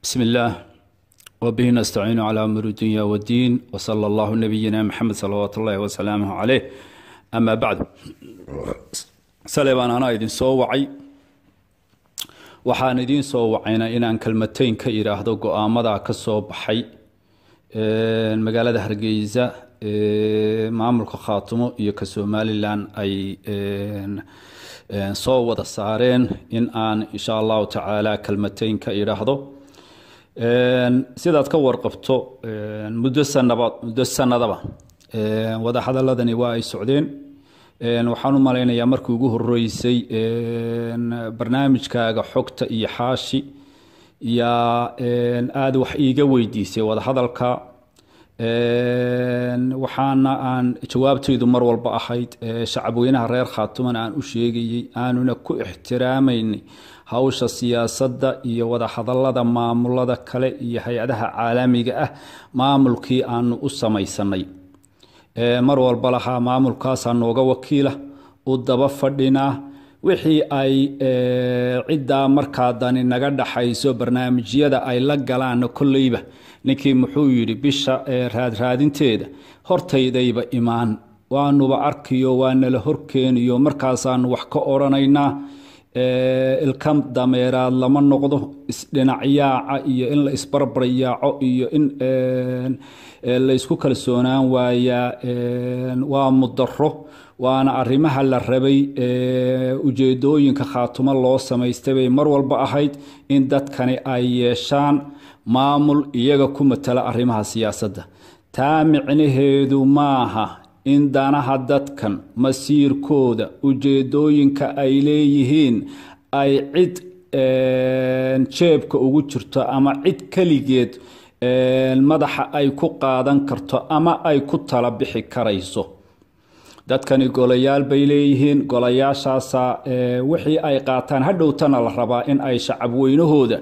بسم الله وبه نستعين على أمور الدنيا والدين، وصلى الله نبينا محمد صلوات الله وسلامه عليه، أما بعد. Saleebaan, anaa idin soo wacay. Waxaan idiin soo wacayna inaan kelmatayn ka idhaahdo go-aamadaa ka soo baxay magaalada Hargeysa, maamulka Khaatumo iyo ka Somalilan ay soo wada saareen, in aan insha Allahu tacaala kelmatayn ka idhaahdo. Sidaad ka warqabto, muddo sanaba, muddo sanadaba wadahadaladani waa ay socdeen. Waxaan u malaynayaa markii ugu horeysay barnaamijkaaga Xogta iyo Xaashi yaa aada wax iiga weydiisay wadahadalka. Waxaana aan jawaabtaydu mar walba ahayd, shacabweynaha reer Khaatumana aan u sheegayey, aanuna ku ixtiraamaynay hawsha siyaasadda iyo wadahadalada maamulada kale iyo hay-adaha caalamiga ah, maamulkii aanu u samaysanay mar walba lahaa maamulkaasaa nooga wakiila, u daba fadhinaa wixii ay ciddaa markaa dani naga dhaxayso barnaamijyada ay la galaanna. Kolleyba ninkii muxuu yidhi, bisha raadraadinteeda hortaydayba imaan, waanuba arkiyo, waa nala horkeeniyo, markaasaanu wax ka odhanaynaa. Ilka dameeraad lama noqdo, isdhinacyaaca iyo in la isbarbaryaaco iyo in laysku kalsoonaan waayaa waa mudaro, waana arrimaha la rabay. Ujeedooyinka Khaatumo loo samaystay bay mar walba ahayd in dadkani ay yeeshaan maamul iyaga ku matala arrimaha siyaasadda. Taa micnaheedu maaha in danaha dadkan, masiirkooda, ujeedooyinka ay leeyihiin ay cid jeebka ugu jirto ama cid keligeed madaxa ay ku qaadan karto ama ay ku tala bixi karayso. Dadkani golayaal bay leeyihiin, golayaashaasa wixii ay qaataan hadhowtana la rabaa in ay shacabweynahooda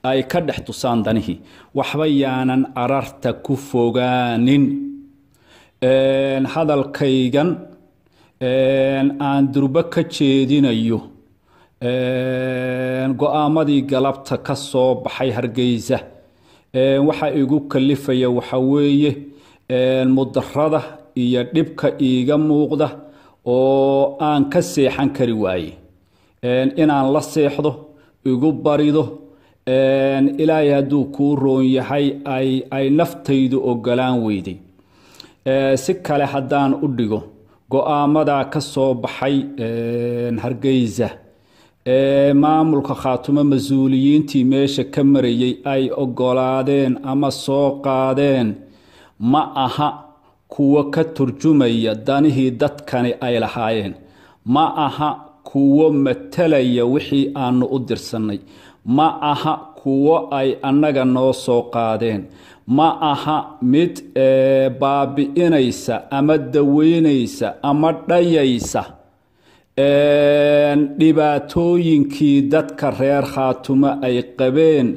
ay ka dhex tusaan danihii. Waxba yaanan ararta ku fogaanin. Hadalkaygan aan durbo ka jeedinayo go-aamadii galabta ka soo baxay Hargeysa waxa igu kalifaya waxa weeye mudarada iyo dhibka iiga muuqda oo aan ka seexan kari waaye inaan la seexdo igu barido. Ilaahay hadduu kuu roon yahay, ay naftaydu ogolaan weyday. Si kale haddaan u dhigo, go-aamadaa ka soo baxay Hargeysa maamulka Khaatumo mas-uuliyiintii meesha ka marayay ay ogolaadeen ama soo qaadeen ma aha kuwo ka turjumaya danihii dadkani ay lahaayeen, ma aha kuwo matalaya wixii aanu u dirsannay, ma aha kuwo ay annaga noo soo qaadeen, ma aha mid baabi'inaysa ama daweynaysa ama dhayaysa dhibaatooyinkii dadka reer Khaatumo ay qabeen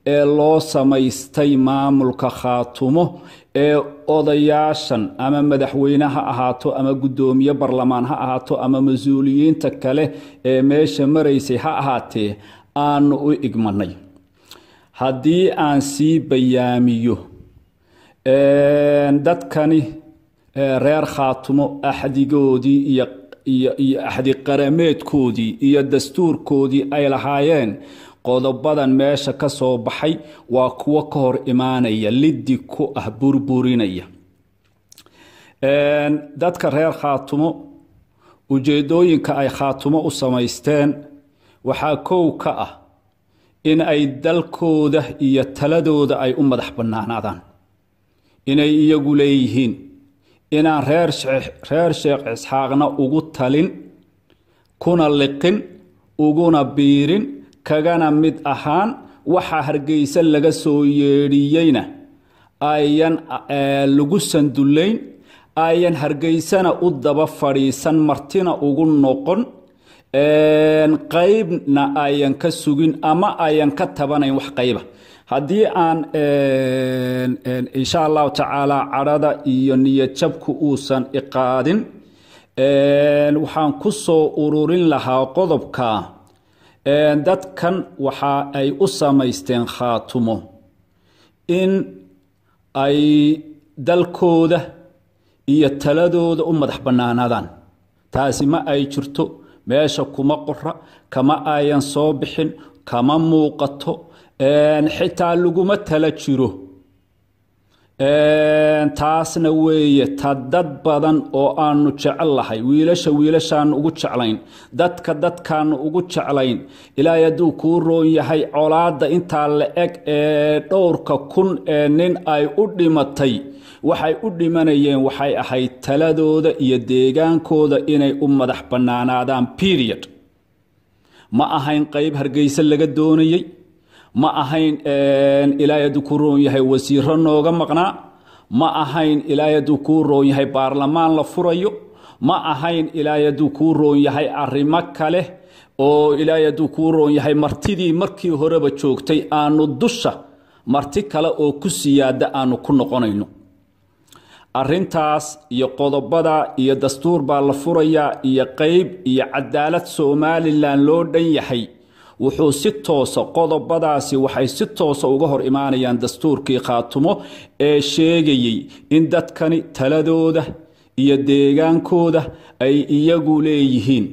ee loo samaystay maamulka Khaatumo ee odayaashan, ama madaxweyne ha ahaato ama guddoomiye barlamaan ha ahaato ama mas-uuliyiinta kale ee meesha maraysay ha ahaatee, aanu u igmanay. Haddii aan sii bayaamiyo, dadkani reer Khaatumo axdigoodii iyo axdi qarameedkoodii iyo dastuurkoodii ay lahaayeen, qodobadan meesha ka soo baxay waa kuwo ka hor imaanaya, liddi ku ah, burburinaya. Dadka reer Khaatumo ujeedooyinka ay Khaatumo u samaysteen waxaa kow ka ah in ay dalkooda iyo taladooda ay u madax bannaanaadaan, inay iyagu leeyihiin, inaan reer Sheekh Isxaaqna ugu talin, kuna liqin, uguna biirin, kagana mid ahaan. Waxa Hargeysa laga soo yeedhiyeyna ayan lagu sandullayn, ayan Hargeysana u daba fadhiisan, martina ugu noqon, qaybna ayan ka sugin ama ayan ka tabanayn wax qayba. Haddii aan insha Allahu tacaala cadhada iyo niyad jabku uusan iqaadin, waxaan ku soo ururin lahaa qodobka: dadkan waxa ay u samaysteen Khaatumo In ay dalkooda iyo taladooda u madax bannaanaadaan. Taasi ma ay jirto, meesha kuma qora, kama ayan soo bixin, kama muuqato, xitaa laguma tala jiro. Taasna weeye ta dad badan oo aanu jecel lahay, wiilasha wiilashaanu ugu jeclayn, dadka dadkaanu ugu jeclayn. Ilaahay hadduu kuu roon yahay, colaadda intaa la eg ee dhowrka kun ee nin ay u dhimatay, waxay u dhimanayeen waxay ahayd taladooda iyo deegaankooda inay u madax bannaanaadaan, period. Ma ahayn qayb Hargeysa laga doonayey, ma ahayn Ilaahay hadduu kuu roon yahay wasiiro nooga maqnaa, ma ahayn Ilaahay hadduu kuu roon yahay baarlamaan la furayo, ma ahayn Ilaahay hadduu kuu roon yahay arrimo kale oo Ilaahay hadduu kuu roon yahay martidii markii horeba joogtay aanu dusha marti kale oo ku siyaada aanu ku noqonayno. Arrintaas iyo qodobada iyo dastuur baa la furayaa iyo qayb iyo cadaalad Somalilan loo dhan yahay, wuxuu si toosa, qodobadaasi waxay si toosa uga hor imaanayaan dastuurkii Khaatumo ee sheegayey in dadkani taladooda iyo deegaankooda ay iyagu leeyihiin,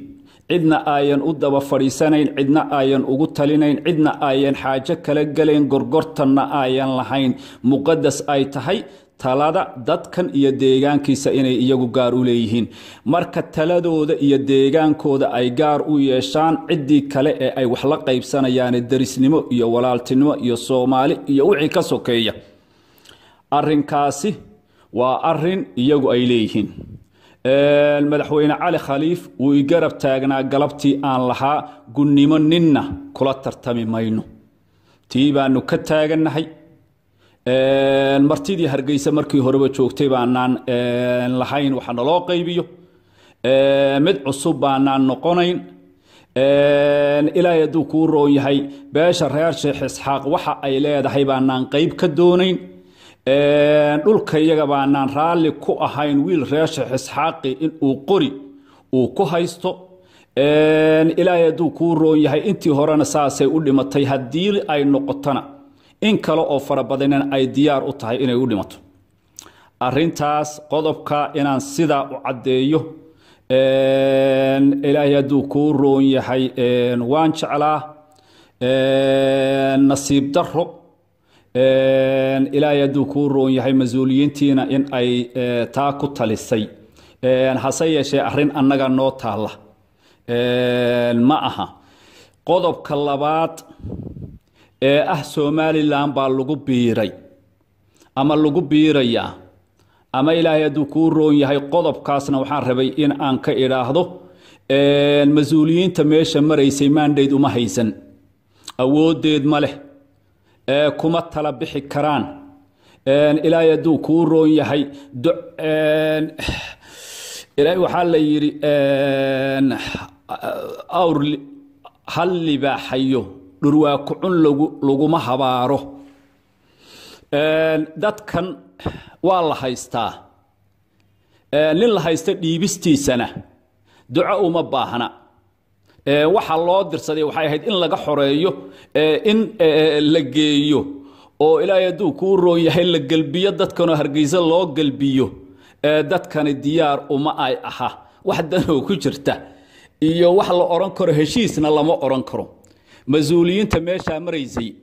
cidna ayan u daba fadhiisanayn, cidna ayan ugu talinayn, cidna ayan xaajo kala gelayn, gorgortanna ayan lahayn, muqadas ay tahay talada dadkan iyo deegaankiisa inay iyagu gaar u leeyihiin. Marka taladooda iyo deegaankooda ay gaar u yeeshaan, ciddii kale ee ay wax la qaybsanayaan derisnimo iyo walaaltinimo iyo Soomaali iyo wixii ka sokeeya, arrinkaasi waa arin iyagu ay leeyihiin. Madaxweyne Cali Khaliif wuu i garab taagnaa galabtii aan lahaa gunnimo ninna kula tartami mayno. Tii baanu ka taagannahay. Martidii Hargeysa markii horeba joogtay baanaan lahayn waxa naloo qaybiyo, mid cusub baanaan noqonayn. Ilaahay hadduu kuu roon yahay, beesha reer Sheekh Isxaaq waxa ay leedahay baanaan qayb ka doonayn. Dhulka iyaga baanaan raalli ku ahayn wiil reer Sheekh Isxaaqi inuu qori uu ku haysto. Ilaahay hadduu kuu roon yahay, intii horena saasay u dhimatay, haddii ay noqotona in kale oo fara badanina ay diyaar u tahay inay u dhimato arrintaas. Qodobka inaan sidaa u caddeeyo, Ilaahay hadduu kuu roon yahay, waan jeclaa. Nasiib daro, Ilaahay hadduu kuu roon yahay, mas-uuliyiintiina in ay taa ku talisay, hase yeeshee arrin annaga noo taalla ma aha. Qodobka labaad ee ah Somalilan baa lagu biiray ama lagu biirayaa ama Ilaahay hadduu kuu roon yahay, qodobkaasna waxaan rabay in aan ka idhaahdo: mas-uuliyiinta meesha maraysay mandate uma haysan, awooddeed ma leh, kuma tala bixi karaan. Ilaahay hadduu kuu roon yahay, waxaa la yidhi awr hal libaaxayo dhurwaa kucun laguma habaaro. Dadkan waa la haystaa, nin la haysta dhiibistiisana duco uma baahna. Waxa loo dirsaday waxay ahayd in laga xoreeyo, in la geeyo oo Ilaahay hadduu kuu roon yahay la gelbiyo dadkanoo Hargeysa loo gelbiyo. Dadkani diyaar uma ay aha, wax danoo ku jirta iyo wax la odhan karo heshiisna lama odhan karo. Mas-uuliyiinta meeshaa maraysay,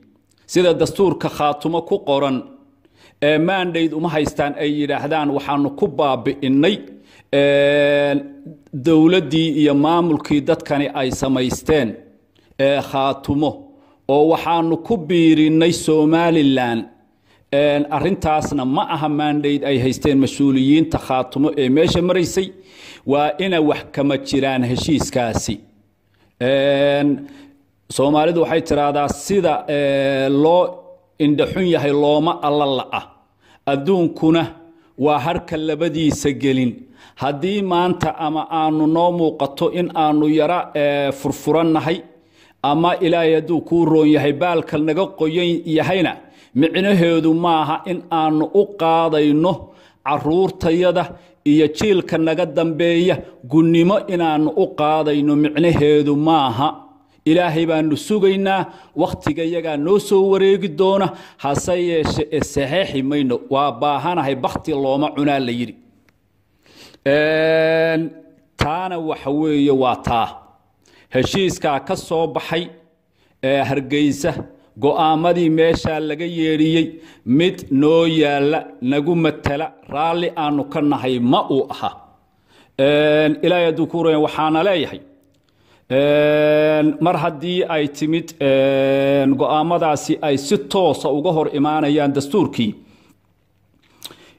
sida dastuurka Khaatumo ku qoran, mandate uma haystaan ay yidhaahdaan waxaanu ku baabi'innay dowladdii iyo maamulkii dadkani ay samaysteen Khaatumo oo waxaanu ku biirinnay Somalilan. Arrintaasna ma aha mandate ay haysteen mas-uuliyiinta Khaatumo ee meesha maraysay. Waa ina wax kama jiraan heshiiskaasi. Soomaalidu waxay tiraahdaa sida loo indhaxun yahay looma alla la'a, adduunkuna waa harka labadiisa gelin. Haddii maanta ama aanu noo muuqato in aanu yara furfurannahay ama Ilaahay hadduu kuu roon yahay baalka naga qoyan yahayna, micnaheedu maaha in aanu u qaadayno caruurtayada iyo jiilka naga dambeeya gunnimo inaannu u qaadayno, micnaheedu maaha. Ilaahay baanu sugaynaa, wakhtiga yagaa noo soo wareegi doona, hase yeeshe e saxeexi mayno. Waa baahanahay bakti looma cunaa la yidhi. Taana waxa weeye waa taa heshiiskaa ka soo baxay ee Hargeysa, go'aamadii meeshaa laga yeedhiyey mid noo yaalla, nagu matala, raalli aanu ka nahay ma uu aha. Ilaahay hadduu ku raya, waxaana leeyahay mar haddii ay timid go'aamadaasi ay si toosa uga hor imaanayaan dastuurkii,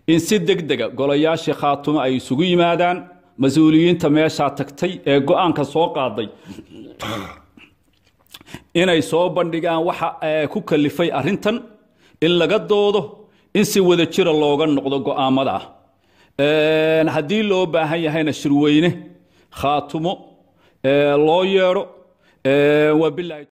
in si deg dega golayaashii Khaatumo ay isugu yimaadaan, mas-uuliyiinta meeshaa tagtay ee go'aanka soo qaaday inay soo bandhigaan waxa ku kalifay arrintan, in laga doodo, in si wada jira looga noqdo go'aamada ah. Haddii loo baahan yahayna shirweyne Khaatumo loo yeedho. Wabilaahi.